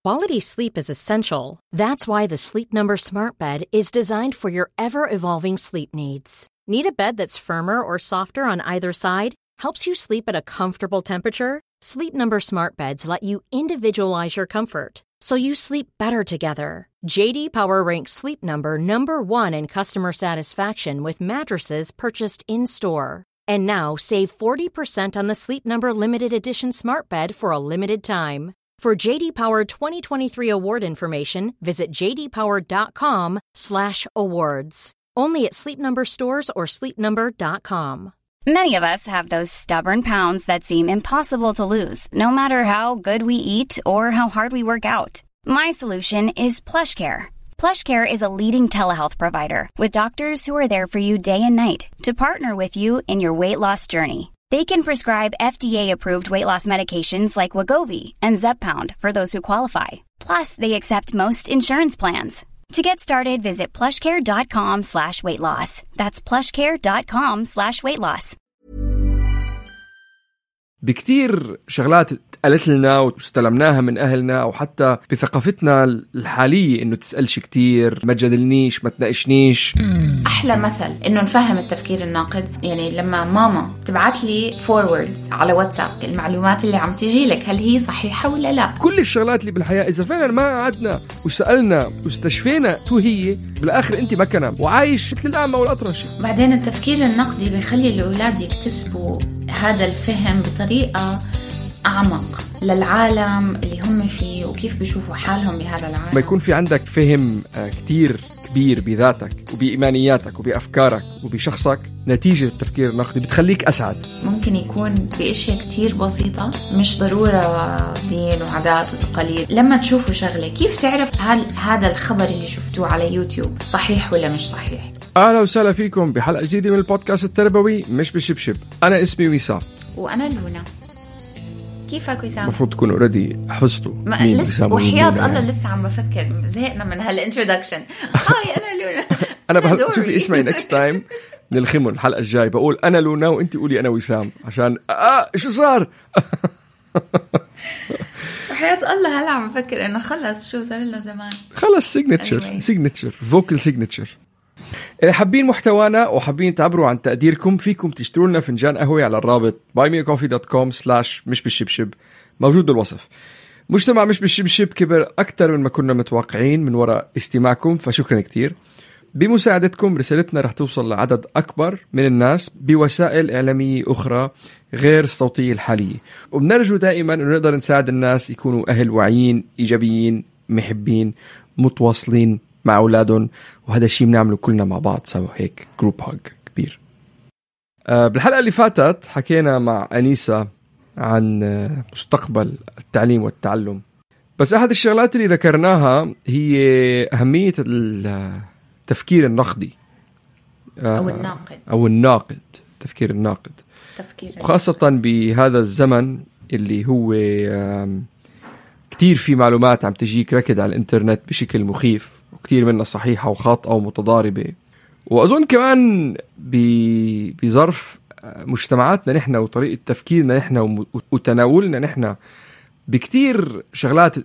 Quality sleep is essential. That's why the Sleep Number Smart Bed is designed for your ever-evolving sleep needs. Need a bed that's firmer or softer on either side? Helps you sleep at a comfortable temperature? Sleep Number Smart Beds let you individualize your comfort, so you sleep better together. J.D. Power ranks Sleep Number number 1 in customer satisfaction with mattresses purchased in-store. And now save 40% on the Sleep Number Limited Edition Smart Bed for a limited time. For J.D. Power 2023 award information, visit jdpower.com/awards. Only at Sleep Number stores or sleepnumber.com. Many of us have those stubborn pounds that seem impossible to lose, no matter how good we eat or how hard we work out. My solution is PlushCare. PlushCare is a leading telehealth provider with doctors who are there for you day and night to partner with you in your weight loss journey. They can prescribe FDA-approved weight loss medications like Wegovy and Zepbound for those who qualify. Plus, they accept most insurance plans. To get started, visit plushcare.com/weightloss. That's plushcare.com/weightloss. بكتير شغلات قالت لنا واستلمناها من أهلنا أو حتى بثقافتنا الحالية إنه تسألش كتير، ما تجادلنيش، ما تناقشنيش. أحلى مثل إنه نفهم التفكير الناقد. يعني لما ماما تبعت لي فوروردز على واتساب المعلومات اللي عم تجي لك، هل هي صحيحة ولا لا؟ كل الشغلات اللي بالحياة إذا فعلا ما قعدنا وسألنا واستشفينا شو هي، بالآخر أنت مكنة وعايش مثل الأعمى والأطرش. بعدين التفكير النقدي بيخلي الأولاد يكتسبوا هذا الفهم بطريقة أعمق للعالم اللي هم فيه وكيف بيشوفوا حالهم بهذا العالم. ما يكون في عندك فهم كتير كبير بذاتك وبإيمانياتك وبأفكارك وبشخصك، نتيجة التفكير النقدي بتخليك أسعد. ممكن يكون بأشياء كتير بسيطة، مش ضرورة دين وعادات وتقاليد. لما تشوفوا شغلة كيف تعرف هل هذا الخبر اللي شفتوه على يوتيوب صحيح ولا مش صحيح؟ أهلا وسهلا فيكم بحلقة جديدة من البودكاست التربوي مش بالشبشب. أنا اسمي وسام وأنا لونا. كيفك وسام؟ مفروض تكونوا اوريدي حفظتوا مين لسه وحياة الله لسه عم بفكر، زهقنا من هالانترودكشن. هاي أنا لونا. أنا شوفي اسمعي next time نلخمه الحلقة الجاي بقول أنا لونا وأنت قولي أنا وسام عشان شو صار. وحياة الله هلا عم بفكر إنه خلص شو صار لنا زمان. خلص signature vocal signature. حابين محتوانا وحابين تعبروا عن تقديركم، فيكم تشتروا لنا فنجان قهوة على الرابط buymeacoffee.com/مش بالشبشب موجود بالوصف. مجتمع مش بالشبشب كبر أكتر من ما كنا متوقعين من وراء استماعكم، فشكرا كتير. بمساعدتكم رسالتنا رح توصل لعدد أكبر من الناس بوسائل إعلامية أخرى غير الصوتية الحالية، وبنرجو دائما أن نقدر نساعد الناس يكونوا أهل واعيين إيجابيين محبين متواصلين مع أولادهم، وهذا الشيء بنعمله كلنا مع بعض سوا، هيك جروب هاج كبير. بالحلقة اللي فاتت حكينا مع أنيسة عن مستقبل التعليم والتعلم، بس أحد الشغلات اللي ذكرناها هي أهمية التفكير النقدي أو الناقد تفكير الناقد، وخاصة بهذا الزمن اللي هو كتير في معلومات عم تجيك ركض على الإنترنت بشكل مخيف، وكتير منها صحيحة وخاطئة ومتضاربة. وأظن كمان بظرف مجتمعاتنا نحن وطريقة تفكيرنا نحن وتناولنا نحن بكتير شغلات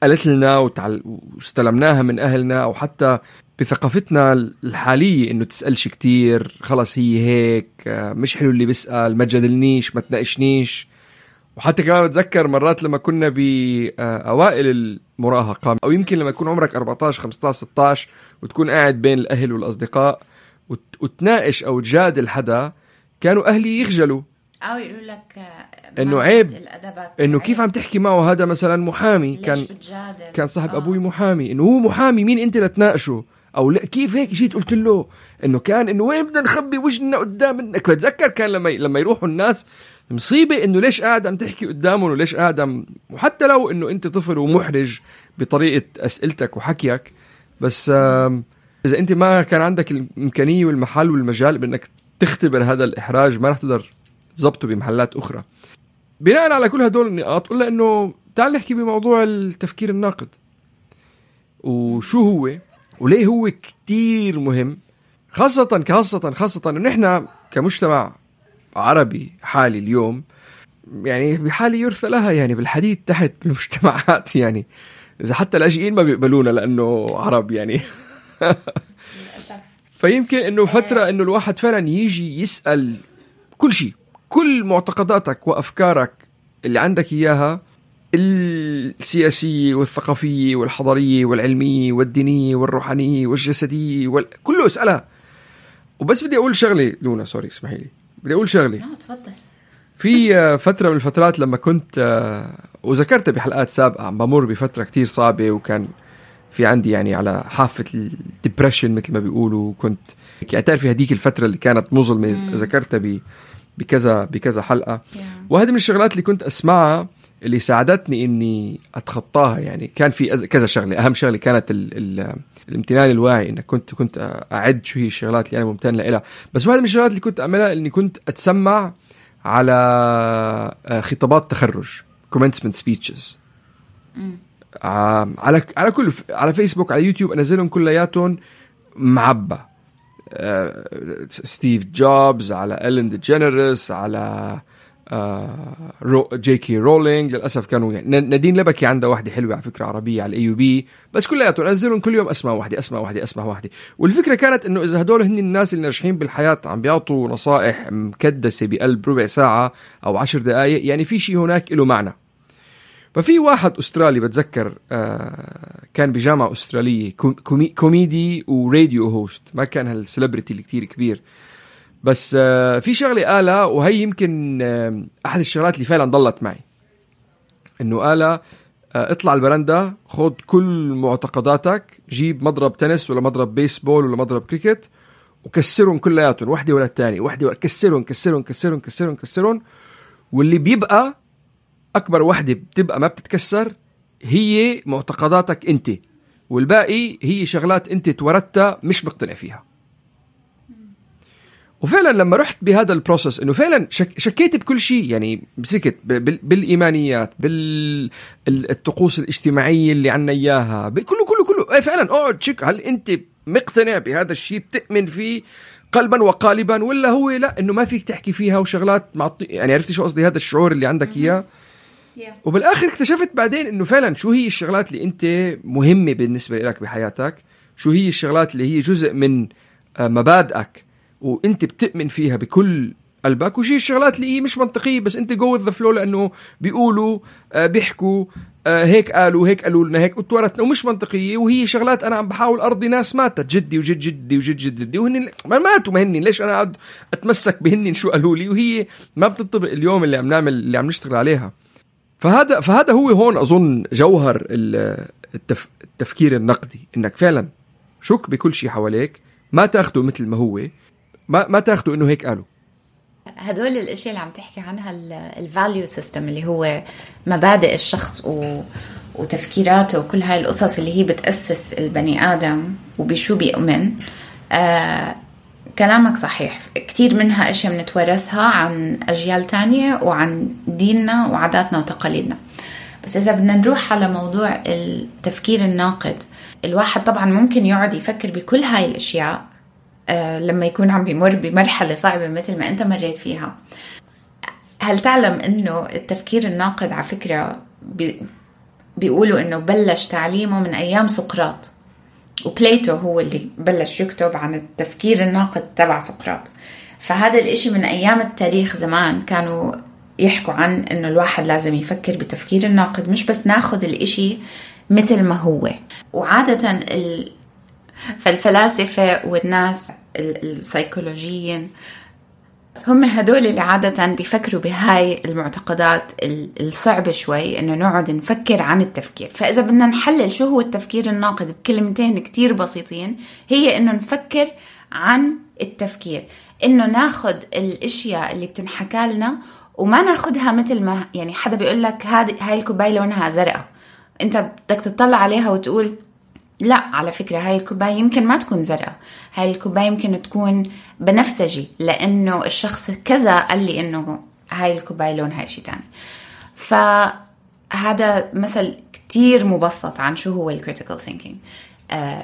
قالت لنا واستلمناها من أهلنا أو حتى بثقافتنا الحالية إنه تسألش كتير، خلص هي هيك، مش حلو اللي بسأل، ما تجادلنيش، ما تناقشنيش. وحتى كمان بتذكر مرات لما كنا بأوائل المراهقة أو يمكن لما يكون عمرك 14 15 16 وتكون قاعد بين الأهل والأصدقاء وتناقش أو تجادل حدا، كانوا أهلي يخجلوا أو يقولوا لك إنه عيب، إنه كيف عم تحكي معه، هذا مثلا محامي، كان صاحب أبوي محامي، إنه هو محامي مين أنت لتناقشه، أو لا كيف هيك جيت قلت له إنه كان إنه وين بدنا نخبي وجهنا قدام منك. بتذكر كان لما يروحوا الناس مصيبة إنه ليش قاعد عم تحكي قدامه وليش قاعد وحتى لو إنه أنت طفل ومحرج بطريقة أسئلتك وحكيك، بس إذا أنت ما كان عندك الإمكانية والمحل والمجال بأنك تختبر هذا الإحراج، ما رح تقدر تضبطه بمحلات أخرى. بناء على كل هدول النقاط قلنا إنه تعال نحكي بموضوع التفكير الناقد وشو هو وليه هو كتير مهم، خاصة إنه نحن كمجتمع عربي حالي اليوم يعني بحالة يرثى لها، يعني بالحديد تحت بالمجتمعات، يعني إذا حتى لاجئين ما بيقبلونا لأنه عرب يعني. فيمكن إنه فترة إنه الواحد فعلا يجي يسأل كل شيء، كل معتقداتك وأفكارك اللي عندك إياها، السياسية والثقافية والحضارية والعلمية والدينية والروحانية والجسدية كله اسألها. وبس بدي أقول شغلة لونا، سوري اسمحي لي، بدي أقول شغلة. تفضل. في فترة من الفترات لما كنت وذكرت بحلقات سابقة عم بمر بفترة كتير صعبة، وكان في عندي يعني على حافة الديبريشن مثل ما بيقولوا. كنت تعرفي هديك الفترة اللي كانت مظلمة، ذكرتها بكذا حلقة. وهذه من الشغلات اللي كنت أسمعها اللي ساعدتني إني أتخطاها. يعني كان في كذا شغلة. أهم شغلة كانت الامتنان الواعي، إنك كنت أعد شو هي الشغلات اللي أنا ممتن لها. بس واحدة من الشغلات اللي كنت أعملها إني كنت أتسمع على خطابات تخرج commencement speeches على فيسبوك، على يوتيوب، أنزلهم كلياتهم معبى. ستيف جوبز، على إلين ديجينيرس، على جي كي رولينج. للأسف كانوا يعني نادين لبكي عندها واحدة حلوة على فكرة عربية على AUB، بس كلياتهم أنزلهم كل يوم أسمع واحدة. والفكرة كانت إنه إذا هدول هن الناس اللي ناجحين بالحياة عم بيعطوا نصائح مكدسة بقلب ربع ساعة أو 10 دقائق، يعني في شيء هناك له معنى. ففي واحد أسترالي بتذكر كان بجامعة أسترالية، كوميدي وراديو هوست، ما كان هالسليبرتي اللي كتير كبير، بس في شغلة قالها، وهي يمكن أحد الشغلات اللي فعلا ضلت معي. إنه قالها اطلع البرندة، خد كل معتقداتك، جيب مضرب تنس ولا مضرب بيسبول ولا مضرب كريكت وكسرهم كلياتهم، واحدة ولا الثانية، كسرهم، واللي بيبقى أكبر واحدة بتبقى ما بتتكسر هي معتقداتك أنت، والباقي هي شغلات أنت توردتها مش مقتنع فيها. وفعلا لما رحت بهذا البروسس إنه فعلا شكيت بكل شيء، يعني مسكت بالإيمانيات، بالطقوس الاجتماعية اللي عنا إياها، كله فعلا اقعد شك هل أنت مقتنع بهذا الشيء، بتؤمن فيه قلبا وقالبا، ولا هو لا إنه ما فيك تحكي فيها وشغلات يعني عرفتي شو قصدي؟ هذا الشعور اللي عندك إياه. وبالآخر اكتشفت بعدين إنه فعلا شو هي الشغلات اللي أنت مهمة بالنسبة لك بحياتك، شو هي الشغلات اللي هي جزء من مبادئك وأنت بتؤمن فيها بكل قلبك، وشي الشغلات اللي هي مش منطقية بس أنت go with the flow لأنه بيقولوا بيحكوا هيك قالوا لنا هيك وتورثنا ومش منطقية، وهي شغلات أنا عم بحاول أرضي ناس ماتت، جدي وجد جدي وجد جدي وهن ما ماتوا، ما هني ليش أنا قاعد أتمسك بهني شو قالوا لي، وهي ما بتطبق اليوم اللي عم نعمل اللي عم نشتغل عليها. فهذا هو هون أظن جوهر التفكير النقدي، إنك فعلا شك بكل شيء حواليك، ما تاخده مثل ما هو، ما تاخده إنه هيك قالوا. هدول الاشياء اللي عم تحكي عنها الفاليو سيستم اللي هو مبادئ الشخص وتفكيراته وكل هاي القصص اللي هي بتأسس البني آدم وبشو بيؤمن. كلامك صحيح، كتير منها اشياء بنتورثها عن أجيال تانية وعن ديننا وعاداتنا وتقاليدنا. بس إذا بدنا نروح على موضوع التفكير الناقد، الواحد طبعا ممكن يقعد يفكر بكل هاي الاشياء لما يكون عم بيمر بمرحلة صعبة مثل ما أنت مريت فيها. هل تعلم أنه التفكير الناقد على فكرة بيقولوا أنه بلش تعليمه من أيام سقراط، وبليتو هو اللي بلش يكتب عن التفكير الناقد تبع سقراط. فهذا الاشي من أيام التاريخ زمان كانوا يحكوا عن أنه الواحد لازم يفكر بتفكير الناقد، مش بس ناخد الاشي مثل ما هو. وعادة فالفلاسفة والناس السيكولوجيين هم هدول اللي عادة بيفكروا بهاي المعتقدات الصعبة شوي، إنه نقعد نفكر عن التفكير. فإذا بدنا نحلل شو هو التفكير الناقد بكلمتين كتير بسيطين، هي إنه نفكر عن التفكير، إنه ناخد الأشياء اللي بتنحكى لنا وما ناخدها مثل ما يعني حدا بيقول لك هاي الكوباية لونها زرقاء، أنت بدك تطلع عليها وتقول لا، على فكرة هاي الكوباية يمكن ما تكون زرقاء، هاي الكوباية يمكن تكون بنفسجي لأنه الشخص كذا قال لي إنه هاي الكوباية لونها شيء تاني. فهذا مثل كتير مبسط عن شو هو الكريتيكال ثينكينج،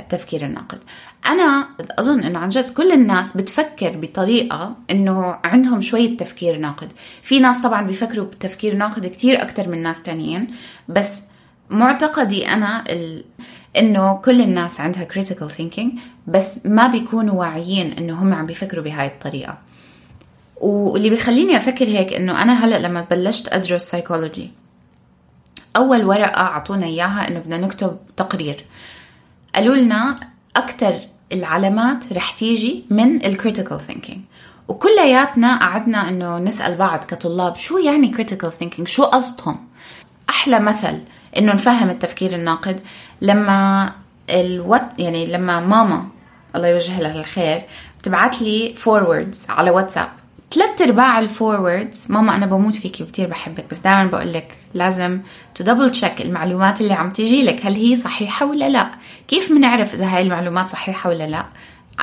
تفكير الناقد. أنا أظن إنه عن جد كل الناس بتفكر بطريقة إنه عندهم شوية تفكير ناقد. في ناس طبعا بيفكروا بتفكير ناقد كتير أكتر من ناس تانيين، بس معتقدي أنا إنه كل الناس عندها critical thinking، بس ما بيكونوا واعيين إنه هم عم بيفكروا بهاي الطريقة. واللي بيخليني أفكر هيك إنه أنا هلأ لما بلشت أدرس psychology، أول ورقة عطونا إياها إنه بدنا نكتب تقرير. قالوا لنا أكتر العلامات رح تيجي من critical thinking، وكلياتنا قعدنا إنه نسأل بعض كطلاب شو يعني critical thinking، شو قصدهم. أحلى مثل إنه نفهم التفكير الناقد لما يعني لما ماما الله يوجه لها الخير بتبعت لي forwards على واتساب، 3/4 الفوروردز ماما أنا بموت فيكي وكتير بحبك، بس دائما بقولك لازم تدبل تشيك المعلومات اللي عم تيجي لك هل هي صحيحة ولا لا. كيف منعرف إذا هاي المعلومات صحيحة ولا لا؟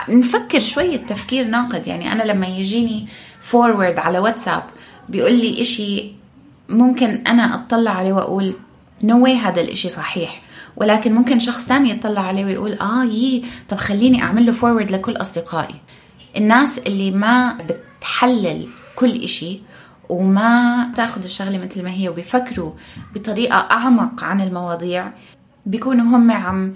نفكر شوية تفكير ناقد. يعني أنا لما يجيني فورورد على واتساب بيقول لي إشي ممكن أنا أطلع عليه وأقول no way هذا الإشي صحيح، ولكن ممكن شخص ثاني يطلع عليه ويقول طب خليني أعمل له فورورد لكل أصدقائي. الناس اللي ما بتحلل كل إشي وما تاخد الشغلة مثل ما هي وبيفكروا بطريقة أعمق عن المواضيع بيكونوا هم عم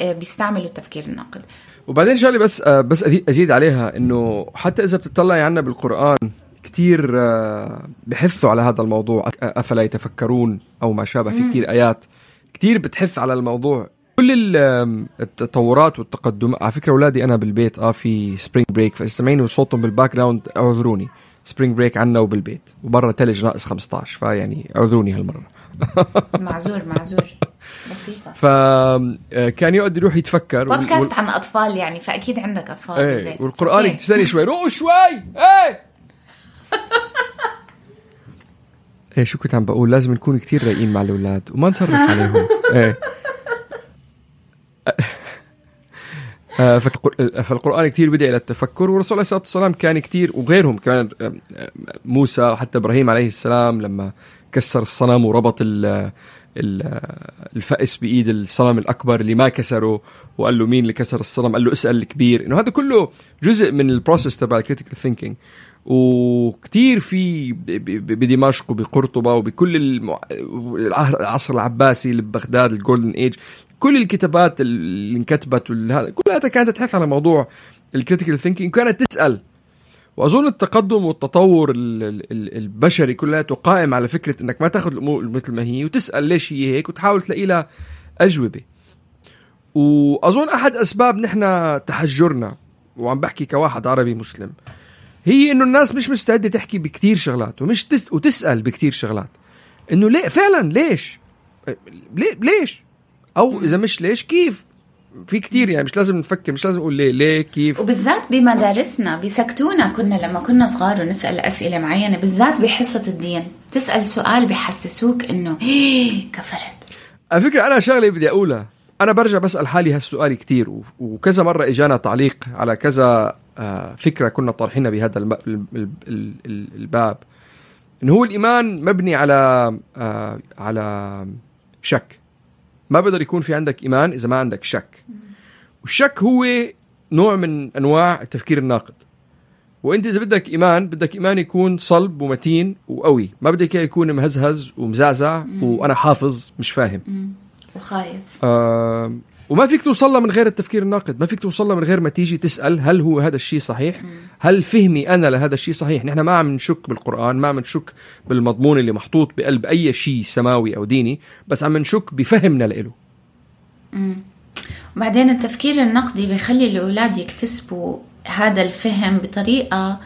بيستعملوا التفكير الناقد. وبعدين شغلة بس أزيد عليها إنه حتى إذا بتطلعي عنا بالقرآن كتير بحثوا على هذا الموضوع، أفلا يتفكرون أو ما شابه، في كتير آيات كتير بتحث على الموضوع. كل التطورات والتقدم. على فكرة أولادي أنا بالبيت في سبرينج بريك، فاستمعيني وصوتهم بالباك جراوند اعذروني. سبرينج بريك عنا وبالبيت وبرا تلج ناقص 15، فيعني اعذروني هالمرة. معذور بسيطة. فكان يقعد يروح يتفكر بودكاست عن أطفال يعني، فأكيد عندك أطفال بالبيت. والقرآن يكتساني شوي روقوا شوي. شو كنت عم بقول؟ لازم نكون كتير رايقين مع الأولاد وما نصرف عليهم. فالقرآن كتير بدأ إلى التفكر، والرسول عليه الصلاة والسلام كان كتير، وغيرهم كمان، موسى وحتى إبراهيم عليه السلام لما كسر الصنم وربط الفأس بإيد الصنم الأكبر اللي ما كسره، وقال له مين اللي كسر الصنم؟ قال له اسأل الكبير. إنه هذا كله جزء من البروسيس تبع الكريتيكال ثينكينج. وكتير في بدمشق وبقرطبة وبكل العصر العباسي اللي ببغداد الجولدن ايج، كل الكتابات اللي انكتبت كلها كانت تحث على موضوع الكريتيكال ثينكينج، كانت تسأل. وأظن التقدم والتطور البشري كلها قائم على فكرة انك ما تاخذ الامور مثل ما هي وتسأل ليش هي هيك وتحاول تلاقي لها أجوبة. وأظن أحد أسباب نحن تحجرنا، وعم بحكي كواحد عربي مسلم، هي إنه الناس مش مستعدة تحكي بكتير شغلات ومش وتسأل بكتير شغلات. إنه ليه فعلا؟ ليش أو إذا مش ليش كيف؟ في كتير يعني مش لازم نفكر، مش لازم نقول ليه كيف. وبالذات بمدارسنا بيسكتونا كنا لما كنا صغار ونسأل أسئلة معينة، بالذات بحصة الدين تسأل سؤال بيحسسوك إنه كفرت. على فكرة أنا شغلة بدي أقولها، أنا برجع بسأل حالي هالسؤال كتير، وكذا مرة إجانا تعليق على كذا فكرة كنا طارحينها بهذا الباب، إنه هو الإيمان مبني على شك. ما بقدر يكون في عندك إيمان إذا ما عندك شك، والشك هو نوع من أنواع التفكير الناقد. وأنت إذا بدك إيمان يكون صلب ومتين وقوي، ما بدك يكون مهزهز ومزعزع وأنا حافظ مش فاهم وخايف. وما فيك توصلها من غير التفكير الناقد، ما فيك توصلها من غير ما تيجي تسأل هل هو هذا الشيء صحيح؟ هل فهمي أنا لهذا الشيء صحيح؟ نحن ما عم نشك بالقرآن، ما عم نشك بالمضمون اللي محطوط بقلب أي شيء سماوي أو ديني، بس عم نشك بفهمنا لإله. وبعدين التفكير النقدي بيخلي الأولاد يكتسبوا هذا الفهم بطريقة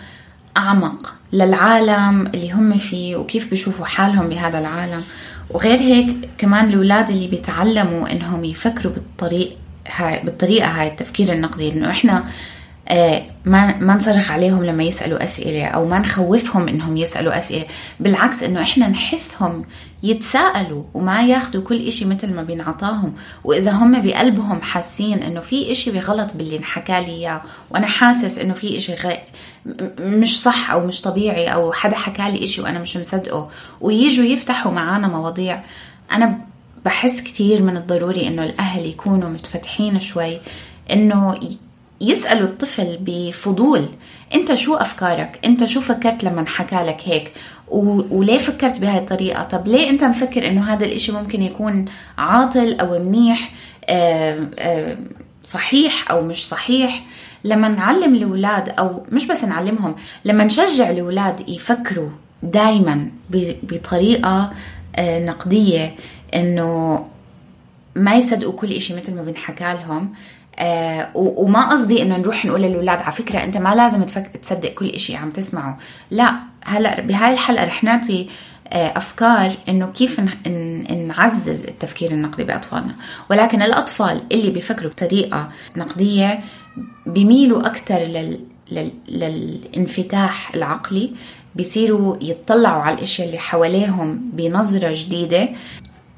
أعمق للعالم اللي هم فيه وكيف بيشوفوا حالهم بهذا العالم. وغير هيك كمان الأولاد اللي بيتعلموا إنهم يفكروا بالطريقة هاي التفكير النقدي، إنه إحنا ما نصرخ عليهم لما يسألوا أسئلة أو ما نخوفهم إنهم يسألوا أسئلة، بالعكس إنه إحنا نحثهم يتساءلوا وما ياخدوا كل إشي مثل ما بينعطاهم. وإذا هم بقلبهم حاسين إنه في إشي بغلط باللي انحكى لي إياه، وأنا حاسس إنه في إشي مش صح أو مش طبيعي، أو حدا حكى لي إشي وأنا مش مصدقه، وييجوا يفتحوا معانا مواضيع، أنا بحس كتير من الضروري إنه الأهل يكونوا متفتحين شوي، إنه يسألوا الطفل بفضول، أنت شو أفكارك؟ أنت شو فكرت لما حكى لك هيك؟ وليه فكرت بهاي الطريقة؟ طب ليه أنت مفكر إنه هذا الإشي ممكن يكون عاطل أو منيح، صحيح أو مش صحيح؟ لما نعلم الأولاد، أو مش بس نعلمهم، لما نشجع الأولاد يفكروا دايما بطريقة نقدية، إنه ما يصدقوا كل إشي مثل ما بنحكى لهم. وما قصدي إنه نروح نقول للأولاد على فكرة أنت ما لازم تصدق كل إشي عم تسمعه، لا. هلأ بهاي الحلقة رح نعطي أفكار إنه كيف نعزز التفكير النقدي بأطفالنا. ولكن الأطفال اللي بيفكروا بطريقة نقدية بيميلوا أكتر للانفتاح العقلي، بيصيروا يتطلعوا على الاشياء اللي حواليهم بنظرة جديدة،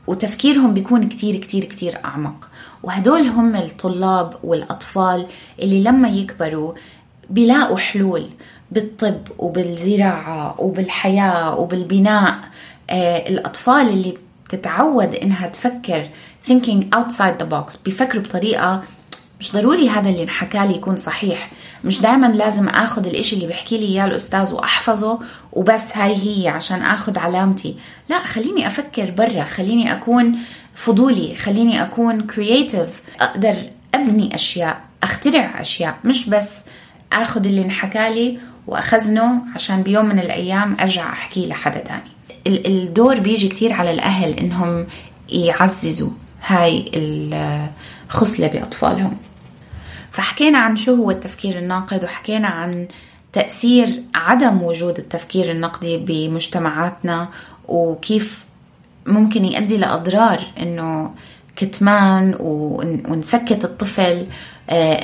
وتفكيرهم بيكون كتير كتير كتير أعمق. وهدول هم الطلاب والأطفال اللي لما يكبروا بيلاقوا حلول بالطب وبالزراعة وبالحياة وبالبناء. الأطفال اللي بتتعود إنها تفكر thinking outside the box، بيفكروا بطريقة مش ضروري هذا اللي انحكى لي يكون صحيح، مش دائما لازم اخذ الاشي اللي بيحكي لي اياه الاستاذ واحفظه وبس هاي هي عشان اخذ علامتي. لا، خليني افكر برا، خليني اكون فضولي، خليني اكون كرياتيف، اقدر ابني اشياء، اخترع اشياء، مش بس اخذ اللي انحكى لي واخزنه عشان بيوم من الايام ارجع احكي لحدا تاني. الدور بيجي كتير على الاهل انهم يعززوا هاي الخصلة بأطفالهم. فحكينا عن شو هو التفكير الناقد، وحكينا عن تأثير عدم وجود التفكير النقدي بمجتمعاتنا، وكيف ممكن يؤدي لأضرار إنه كتمان ونسكت الطفل،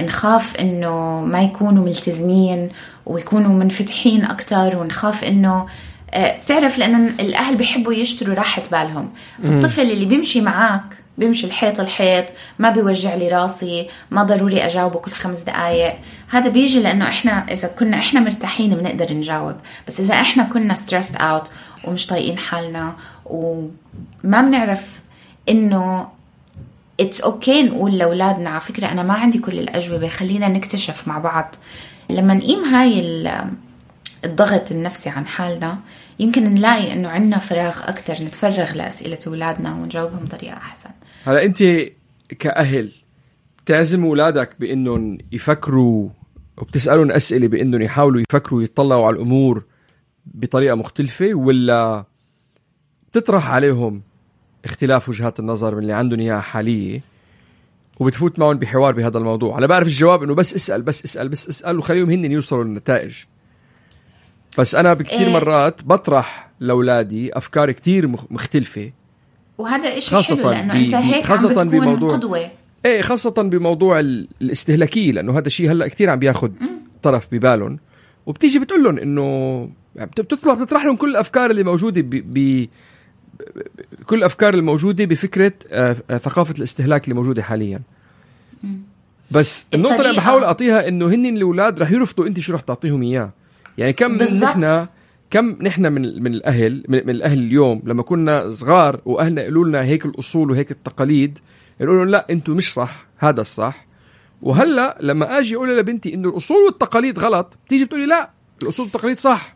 نخاف إنه ما يكونوا ملتزمين ويكونوا منفتحين أكتر، ونخاف إنه بتعرف لأن الأهل بيحبوا يشتروا راحة بالهم. فالطفل اللي بيمشي معاك بيمشي الحيط ما بيوجع لي راسي، ما ضروري أجاوبه كل 5 دقايق. هذا بيجي لأنه إحنا إذا كنا إحنا مرتاحين بنقدر نجاوب، بس إذا إحنا كنا stressed out ومش طايقين حالنا وما بنعرف إنه it's okay نقول لأولادنا على فكرة أنا ما عندي كل الأجوبة، خلينا نكتشف مع بعض. لما نقيم هاي الضغط النفسي عن حالنا، يمكن نلاقي إنه عنا فراغ أكتر نتفرغ لأسئلة أولادنا ونجاوبهم بطريقة أحسن. هلا أنت كأهل تعزم أولادك بإنهم يفكروا وبتسألون أسئلة بإنهم يحاولوا يفكروا يتطلعوا على الأمور بطريقة مختلفة، ولا بتطرح عليهم اختلاف وجهات النظر من اللي عندهم إياها حالية وبتفوت معهم بحوار بهذا الموضوع؟ أنا بعرف الجواب إنه بس اسأل وخليهم هن يوصلوا للنتائج، بس أنا بكثير مرات بطرح لأولادي أفكار كتير مختلفة، وهذا إشي حلو لأنه أنت هيك عم بتكون قدوة. خاصة بموضوع الاستهلاكي، لأنه هذا الشيء هلأ كتير عم بياخد طرف ببالهم، وبتيجي بتقول لهم إنه بتطرح لهم كل الأفكار اللي موجودة كل الأفكار الموجودة بفكرة ثقافة الاستهلاك اللي موجودة حاليا. بس النقطة اللي بحاول أعطيها إنه هن الأولاد رح يرفضوا أنت شو رح تعطيهم إياه. يعني كم نحن من الأهل اليوم لما كنا صغار وأهلنا يقولوا لنا هيك الأصول وهيك التقاليد، يقولوا لا أنتوا مش صح، هذا الصح. وهلأ لما أجي أقول لبنتي إنه الأصول والتقاليد غلط، بتيجي بتقولي لا الأصول والتقاليد صح.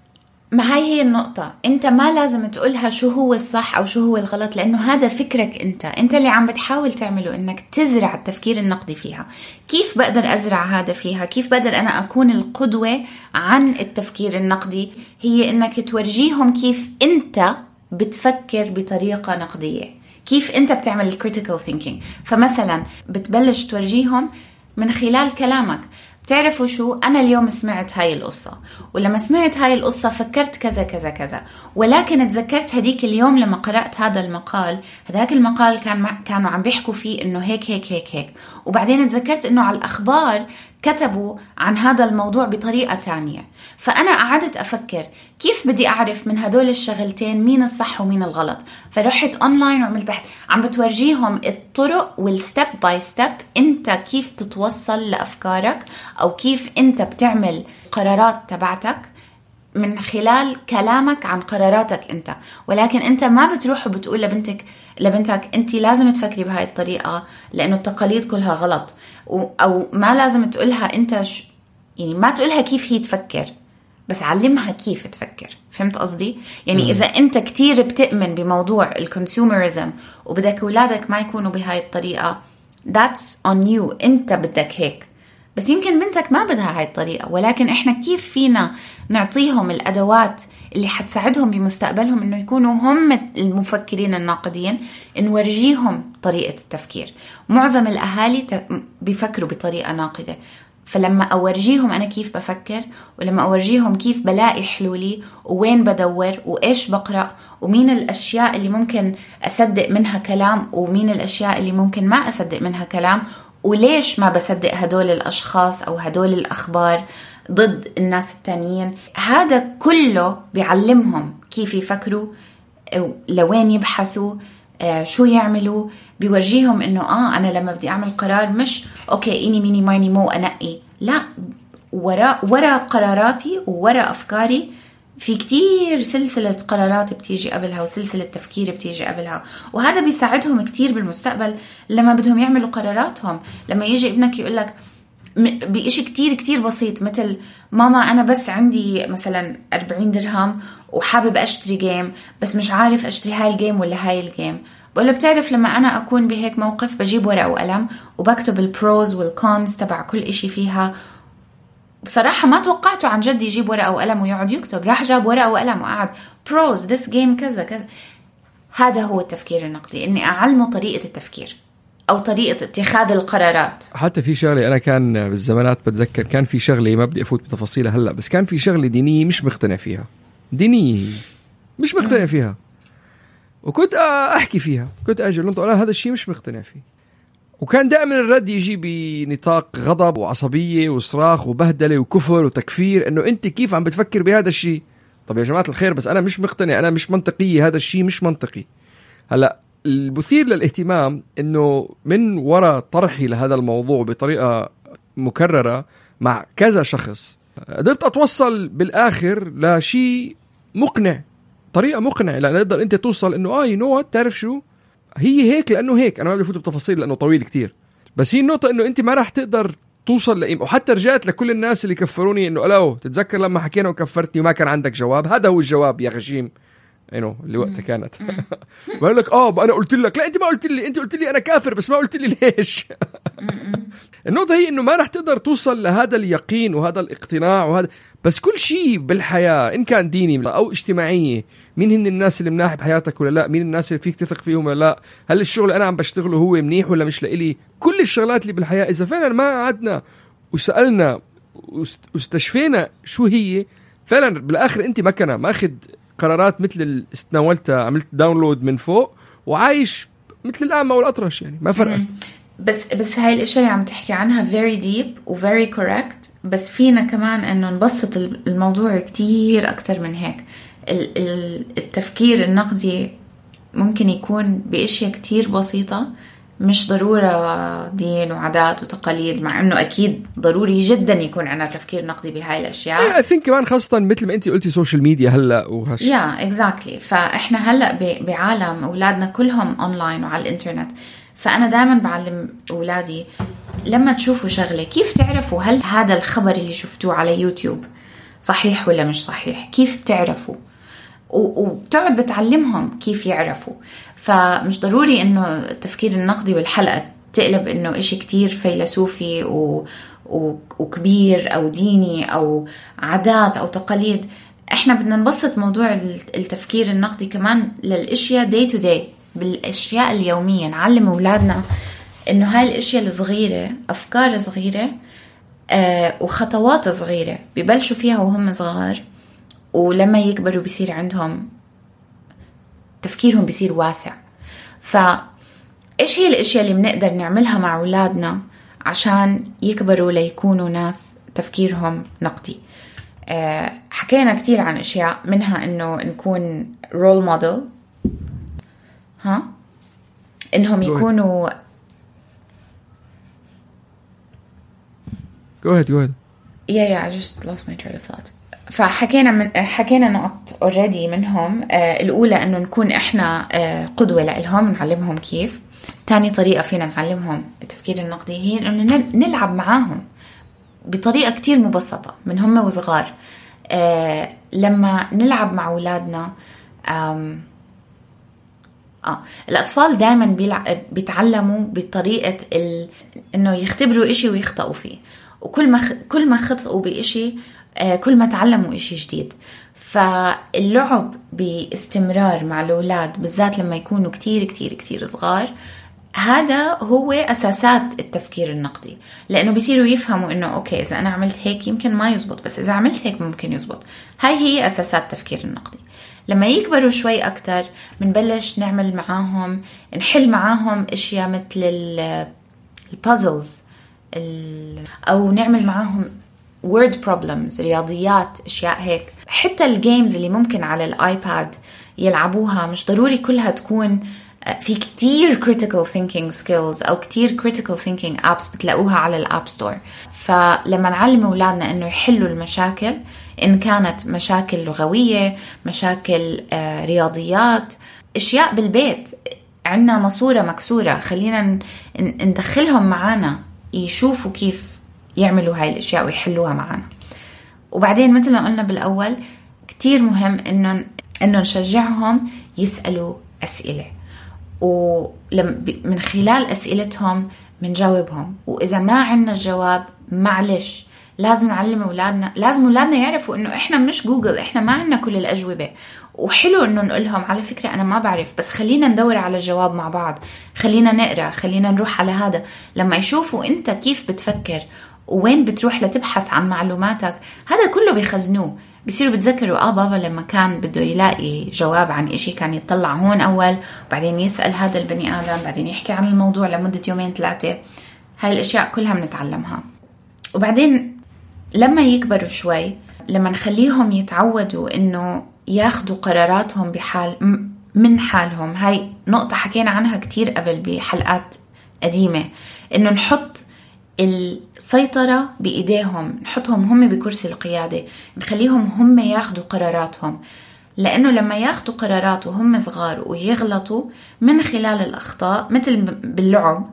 ما هي النقطة، أنت ما لازم تقولها شو هو الصح أو شو هو الغلط، لأنه هذا فكرك أنت اللي عم بتحاول تعمله، إنك تزرع التفكير النقدي فيها. كيف بقدر أزرع هذا فيها؟ كيف بقدر أنا أكون القدوة عن التفكير النقدي؟ هي إنك تورجيهم كيف أنت بتفكر بطريقة نقدية، كيف أنت بتعمل critical thinking. فمثلا بتبلش تورجيهم من خلال كلامك، تعرفوا شو، أنا اليوم سمعت هاي القصة، ولما سمعت هاي القصة فكرت كذا كذا كذا، ولكن تذكرت هديك اليوم لما قرأت هذا المقال، هذاك المقال كانوا عم بيحكوا فيه إنه هيك هيك هيك هيك، وبعدين تذكرت إنه على الأخبار كتبوا عن هذا الموضوع بطريقة تانية. فأنا قعدت أفكر كيف بدي أعرف من هدول الشغلتين مين الصح ومين الغلط، فرحت أونلاين وعملت بحث عم بتورجيهم الطرق والستيب باي ستيب أنت كيف تتوصل لأفكارك، أو كيف أنت بتعمل قرارات تبعتك من خلال كلامك عن قراراتك أنت. ولكن أنت ما بتروح وبتقول لبنتك أنت لازم تفكري بهاي الطريقة لأنه التقاليد كلها غلط، أو ما لازم تقولها أنت يعني ما تقولها كيف هي تفكر، بس علمها كيف تفكر. فهمت قصدي؟ يعني إذا أنت كتير بتؤمن بموضوع الكونسيومرزم وبدك أولادك ما يكونوا بهاي الطريقة، that's on you، أنت بدك هيك. بس يمكن بنتك ما بدها هاي الطريقة، ولكن إحنا كيف فينا نعطيهم الأدوات اللي حتساعدهم بمستقبلهم إنه يكونوا هم المفكرين الناقدين، نورجيهم طريقة التفكير. معظم الأهالي بيفكروا بطريقة ناقدة، فلما أورجيهم أنا كيف بفكر، ولما أورجيهم كيف بلاقي حلولي ووين بدور وإيش بقرأ ومين الأشياء اللي ممكن أصدق منها كلام ومين الأشياء اللي ممكن ما أصدق منها كلام، وليش ما بصدق هدول الأشخاص أو هدول الأخبار ضد الناس التانيين. هذا كله بيعلمهم كيف يفكروا، لوين يبحثوا، شو يعملوا. بيورجيهم إنه أنا لما بدي أعمل قرار مش أوكي إني ميني مايني مو أنقي، لا، وراء قراراتي ووراء أفكاري في كتير سلسلة قرارات بتيجي قبلها وسلسلة تفكير بتيجي قبلها. وهذا بيساعدهم كتير بالمستقبل لما بدهم يعملوا قراراتهم. لما يجي ابنك يقولك بإشي كتير كتير بسيط، مثل ماما أنا بس عندي مثلا 40 درهم وحابب أشتري جيم بس مش عارف أشتري هاي الجيم ولا هاي الجيم، بقوله بتعرف لما أنا أكون بهيك موقف بجيب ورقة وقلم وبكتب البروز والكونز تبع كل إشي فيها. بصراحة ما توقعته عن جد يجيب ورقة وقلم ويقعد يكتب، راح جاب ورقة وقلم وقعد بروز this game كذا كذا. هذا هو التفكير النقدي، إني أعلمه طريقة التفكير أو طريقة اتخاذ القرارات. حتى في شغلة أنا كان بالزمانات بتذكر كان في شغلة ما بدي أفوت بتفاصيلها هلأ، بس كان في شغلة دينية مش مقتنع فيها، دينية مش مقتنع فيها، وكنت أحكي فيها، كنت أجي لنطق أنا هذا الشيء مش مقتنع فيه، وكان دائما الرد يجي بنطاق غضب وعصبية وصراخ وبهدلة وكفر وتكفير، إنه أنت كيف عم بتفكر بهذا الشيء؟ طب يا جماعة الخير بس أنا مش مقتنع، أنا مش منطقية، هذا الشيء مش منطقي. هلأ المثير للاهتمام إنه من وراء طرحي لهذا الموضوع بطريقة مكررة مع كذا شخص قدرت أتوصل بالآخر لشيء مقنع، طريقة مقنعة لأن تقدر أنت توصل إنه يو تعرف شو هي هيك، لأنه هيك أنا ما بدي أفوت بتفاصيل لأنه طويل كتير، بس هي النقطة إنه أنت ما راح تقدر توصل لإيم. وحتى رجعت لكل الناس اللي كفروني إنه ألاو تتذكر لما حكينا وكفرتني وما كان عندك جواب، هذا هو الجواب يا غشيم اللي وقتها كانت بقول لك أنا قلت لك، لا أنت ما قلت لي، أنت قلت لي أنا كافر بس ما قلت لي ليش. النقطة هي إنه ما راح تقدر توصل لهذا اليقين وهذا الاقتناع وهذا، بس كل شيء بالحياة إن كان ديني أو اجتماعية، مين هن الناس اللي مناح بحياتك ولا لا، مين الناس اللي فيك تثق فيهم ولا لا، هل الشغل أنا عم بشتغله هو منيح ولا مش لإلي، كل الشغلات اللي بالحياة إذا فعلا ما قعدنا وسألنا واستشفينا شو هي فعلا بالآخر أنت مكنة ما أخذ قرارات مثل استناولتها عملت داونلود من فوق وعايش مثل الأعمى والأطرش، يعني ما فرقت. بس هاي الاشياء اللي عم تحكي عنها very deep و very correct، بس فينا كمان انه نبسط الموضوع كتير اكتر من هيك. التفكير النقدي ممكن يكون باشياء كتير بسيطة، مش ضرورة دين وعادات وتقاليد، مع انه اكيد ضروري جدا يكون عنا تفكير نقدي بهاي الاشياء. I think كمان خاصة مثل ما انتي قلتي سوشيال ميديا هلا وهش exactly. فاحنا هلا بعالم اولادنا كلهم اونلاين وعلى الانترنت، فانا دائما بعلم اولادي لما تشوفوا شغلة كيف تعرفوا هل هذا الخبر اللي شفتوه على يوتيوب صحيح ولا مش صحيح، كيف تعرفوا، وبتقعد بتعلمهم كيف يعرفوا. فمش ضروري انه التفكير النقدي والحلقة تقلب انه اشي كتير فيلسوفي وكبير او ديني او عادات او تقاليد. احنا بدنا نبسط موضوع التفكير النقدي كمان للاشياء day to day، بالاشياء اليومية. نعلم اولادنا انه هاي الاشياء الصغيرة افكار صغيرة وخطوات صغيرة ببلشوا فيها وهم صغار، ولما يكبروا بيصير عندهم تفكيرهم بيصير واسع. فإيش هي الأشياء اللي بنقدر نعملها مع أولادنا عشان يكبروا ليكونوا ناس تفكيرهم نقدي؟ حكينا كتير عن أشياء منها إنه نكون رول موديل، إنهم يكونوا Go ahead. I just lost my train of thought. فحكينا نقط already منهم. الأولى أنه نكون إحنا قدوة لهم، نعلمهم كيف. تاني طريقة فينا نعلمهم التفكير النقدي هي أنه نلعب معاهم بطريقة كتير مبسطة من هم وصغار. لما نلعب مع أولادنا الأطفال دائما بيتعلموا بطريقة إنه يختبروا إشي ويخطئوا فيه، وكل ما خطئوا بإشي كل ما تعلموا إشي جديد. فاللعب باستمرار مع الأولاد بالذات لما يكونوا كتير كتير كتير صغار، هذا هو أساسات التفكير النقدي، لأنه بيصيروا يفهموا إنه أوكي إذا أنا عملت هيك يمكن ما يزبط، بس إذا عملت هيك ممكن يزبط. هاي هي أساسات التفكير النقدي. لما يكبروا شوي أكتر بنبلش نعمل معاهم، نحل معاهم إشياء مثل البازلز، أو نعمل معاهم word problems، رياضيات، أشياء هيك. حتى الجيمز اللي ممكن على الآيباد يلعبوها مش ضروري كلها تكون في كتير critical thinking skills أو كتير critical thinking apps بتلاقوها على الاب ستور. فلما نعلم أولادنا إنه يحلوا المشاكل، إن كانت مشاكل لغوية، مشاكل رياضيات، أشياء بالبيت، عنا ماسورة مكسورة، خلينا ندخلهم معانا يشوفوا كيف يعملوا هاي الأشياء ويحلوها معانا. وبعدين مثل ما قلنا بالأول كتير مهم إنه نشجعهم يسألوا أسئلة، ومن خلال أسئلتهم منجاوبهم. وإذا ما عنا الجواب معلش لازم نعلم أولادنا، لازم أولادنا يعرفوا إنه إحنا مش جوجل، إحنا ما عنا كل الأجوبة. وحلو إنه نقولهم على فكرة أنا ما بعرف، بس خلينا ندور على الجواب مع بعض، خلينا نقرأ، خلينا نروح على هذا. لما يشوفوا أنت كيف بتفكر وين بتروح لتبحث عن معلوماتك، هذا كله بيخزنوه، بيصيروا بتذكروا بابا لما كان بده يلاقي جواب عن إشي كان يطلع هون أول، وبعدين يسأل هذا البني آدم، بعدين يحكي عن الموضوع لمدة 2-3. هاي الأشياء كلها بنتعلمها. وبعدين لما يكبروا شوي، لما نخليهم يتعودوا إنه ياخدوا قراراتهم من حالهم، هاي نقطة حكينا عنها كتير قبل بحلقات قديمة، إنه نحط السيطرة بإيديهم، نحطهم هم بكرسي القيادة، نخليهم هم ياخدوا قراراتهم. لأنه لما ياخدوا قرارات وهم صغار ويغلطوا من خلال الأخطاء مثل باللعب،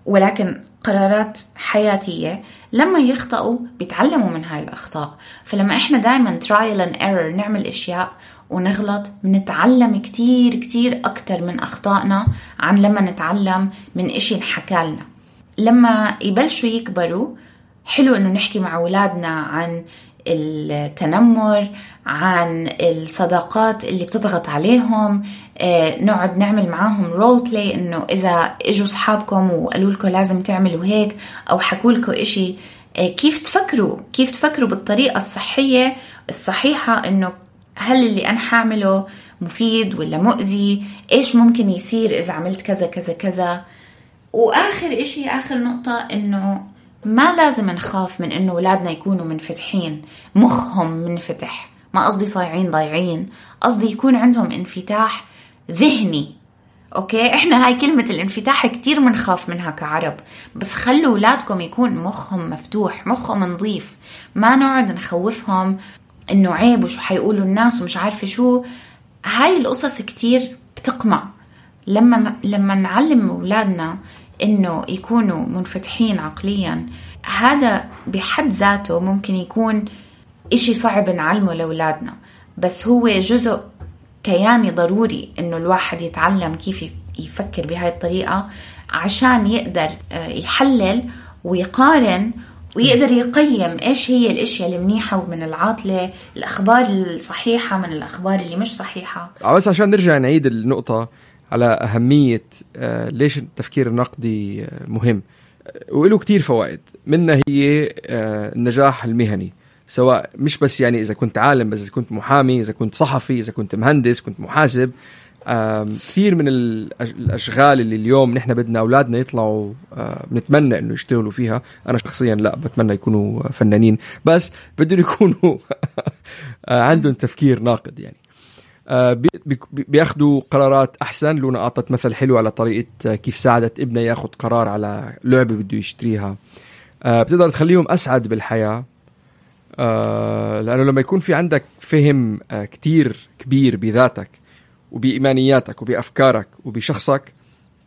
ولكن قرارات حياتية، لما يخطئوا بيتعلموا من هاي الأخطاء. فلما إحنا دايما trial and error نعمل إشياء ونغلط، بنتعلم كتير كتير أكتر من أخطائنا عن لما نتعلم من إشي نحكى لنا. لما يبلشوا يكبروا حلو إنه نحكي مع أولادنا عن التنمر، عن الصداقات اللي بتضغط عليهم، نقعد نعمل معاهم رول بلاي، إنه إذا إجوا صحابكم وقالوا لكم لازم تعملوا هيك أو حكوا لكم إشي، كيف تفكروا بالطريقة الصحيحة، إنه هل اللي أنا حاعمله مفيد ولا مؤذي، إيش ممكن يصير إذا عملت كذا كذا كذا. وآخر إشي، آخر نقطة، إنه ما لازم نخاف من إنه أولادنا يكونوا منفتحين، مخهم منفتح، ما قصدي صايعين ضايعين، قصدي يكون عندهم انفتاح ذهني. أوكي، إحنا هاي كلمة الانفتاح كتير منخاف منها كعرب، بس خلوا أولادكم يكون مخهم مفتوح، مخهم نظيف، ما نقعد نخوفهم إنه عيب وشو حيقولوا الناس ومش عارفة شو. هاي القصص كتير بتقمع. لما نعلم أولادنا إنه يكونوا منفتحين عقليا، هذا بحد ذاته ممكن يكون إشي صعب نعلمه لأولادنا، بس هو جزء كياني ضروري إنه الواحد يتعلم كيف يفكر بهاي الطريقة عشان يقدر يحلل ويقارن ويقدر يقيم إيش هي الأشياء المنيحة ومن العاطلة، الأخبار الصحيحة من الأخبار اللي مش صحيحة. بس عشان نرجع نعيد النقطة على أهمية ليش التفكير النقدي مهم، وله كتير فوائد. منها هي النجاح المهني، سواء مش بس يعني إذا كنت عالم، بس إذا كنت محامي، إذا كنت صحفي، إذا كنت مهندس، كنت محاسب. كثير من الأشغال اللي اليوم نحن بدنا أولادنا يطلعوا بنتمنى إنه يشتغلوا فيها. أنا شخصيا لا بتمنى يكونوا فنانين، بس بدهم يكونوا عندهم تفكير ناقد، يعني بياخدوا قرارات أحسن. لونا أعطت مثل حلو على طريقة كيف ساعدت ابنها ياخد قرار على لعبة بده يشتريها. بتقدر تخليهم أسعد بالحياة، لأنه لما يكون في عندك فهم كتير كبير بذاتك وبإيمانياتك وبأفكارك وبشخصك،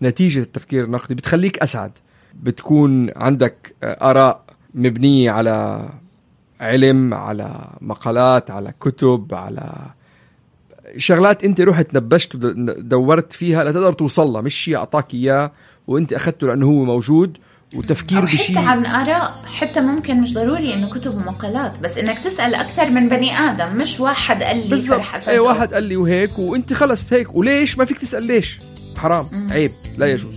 نتيجة التفكير النقدي بتخليك أسعد. بتكون عندك آراء مبنية علم، على مقالات، على كتب، على شغلات انت رحت نبشت ودورت فيها لتقدر توصلها، مش شيء اعطاك اياه وانت اخذته لانه هو موجود وتفكير بشيء. حتى عن آراء، حتى ممكن مش ضروري انه كتب ومقالات، بس انك تسأل اكثر من بني ادم، مش واحد قال لي بالضبط. اي واحد قال لي وهيك وانت خلص هيك، وليش ما فيك تسأل ليش؟ حرام، عيب، لا يجوز.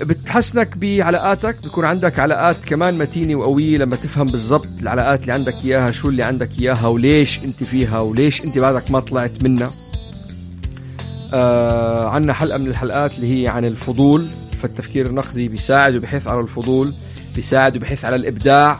بتحسنك بعلاقاتك، بيكون عندك علاقات كمان متينة وقوية لما تفهم بالضبط العلاقات اللي عندك إياها، شو اللي عندك إياها وليش انت فيها وليش انت بعدك ما طلعت منها. عنا حلقة من الحلقات اللي هي عن الفضول، فالتفكير النقدي بيساعد وبيحث على الفضول، بيساعد وبيحث على الإبداع،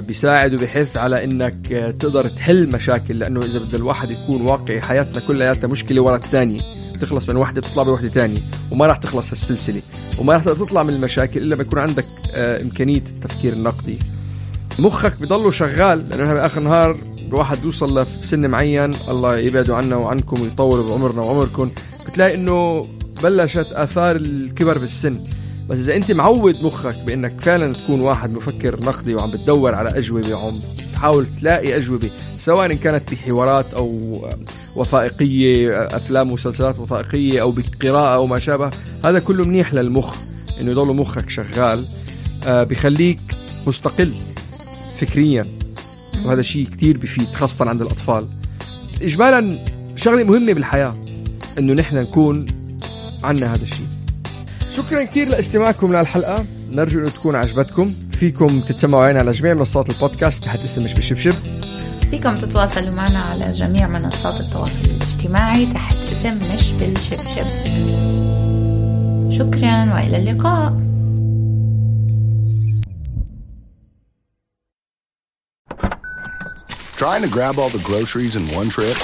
بيساعد وبيحث على انك تقدر تحل مشاكل، لانه اذا بده الواحد يكون واقعي حياتنا كلها مشكلة ورا الثانية، تخلص من واحدة تطلع بواحدة تانية وما راح تخلص هالسلسلة، وما راح تطلع من المشاكل إلا بيكون عندك إمكانية التفكير النقدي. مخك بيضله شغال، لأنه بآخر النهار الواحد يوصل لسن معين، الله يبعده عنا وعنكم ويطول بعمرنا وعمركم، بتلاقي إنه بلشت آثار الكبر بالسن. بس إذا أنت معود مخك بأنك فعلا تكون واحد مفكر نقدي وعم بتدور على أجوبة وعم تحاول تلاقي أجوبة، سواء إن كانت بحوارات أو وثائقية، أفلام ومسلسلات وثائقية، أو بقراءة أو ما شابه، هذا كله منيح للمخ إنه يضل مخك شغال، بيخليك مستقل فكريا، وهذا شيء كتير بيفيد خاصة عند الأطفال. إجمالا شغلة مهمة بالحياة إنه نحن نكون عنا هذا الشيء. شكرا كتير لاستماعكم للحلقة، نرجو إنه تكون عجبتكم. فيكم تتسمعوا علينا على جميع منصات البودكاست تحت اسم مش بالشبشب. فيكم تتواصلوا معنا على جميع منصات التواصل الاجتماعي تحت اسم مش بالشبشب. شكرا وإلى اللقاء. Trying to grab all the groceries in one trip?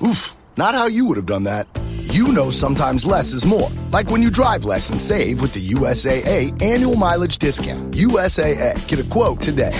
Oof, not how you would have done that. You know sometimes less is more. Like when you drive less and save with the USAA annual mileage discount. USAA. Get a quote today.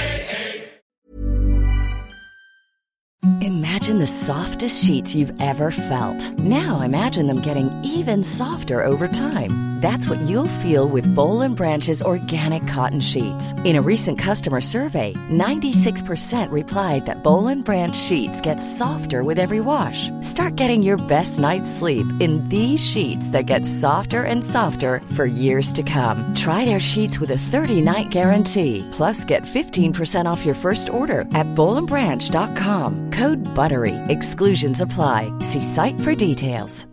Imagine the softest sheets you've ever felt. Now imagine them getting even softer over time. That's what you'll feel with Boll & Branch's organic cotton sheets. In a recent customer survey, 96% replied that Boll & Branch sheets get softer with every wash. Start getting your best night's sleep in these sheets that get softer and softer for years to come. Try their sheets with a 30-night guarantee. Plus, get 15% off your first order at bollandbranch.com. Code BUTTERY. Exclusions apply. See site for details.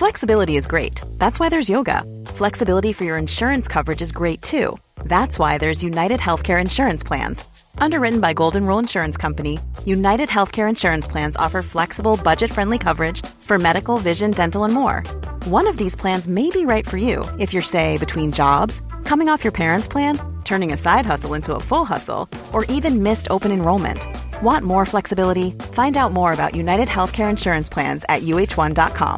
Flexibility is great. That's why there's yoga. Flexibility for your insurance coverage is great too. That's why there's United Healthcare Insurance Plans. Underwritten by Golden Rule Insurance Company, United Healthcare Insurance Plans offer flexible, budget-friendly coverage for medical, vision, dental, and more. One of these plans may be right for you if you're, say, between jobs, coming off your parents' plan, turning a side hustle into a full hustle, or even missed open enrollment. Want more flexibility? Find out more about United Healthcare Insurance Plans at uh1.com.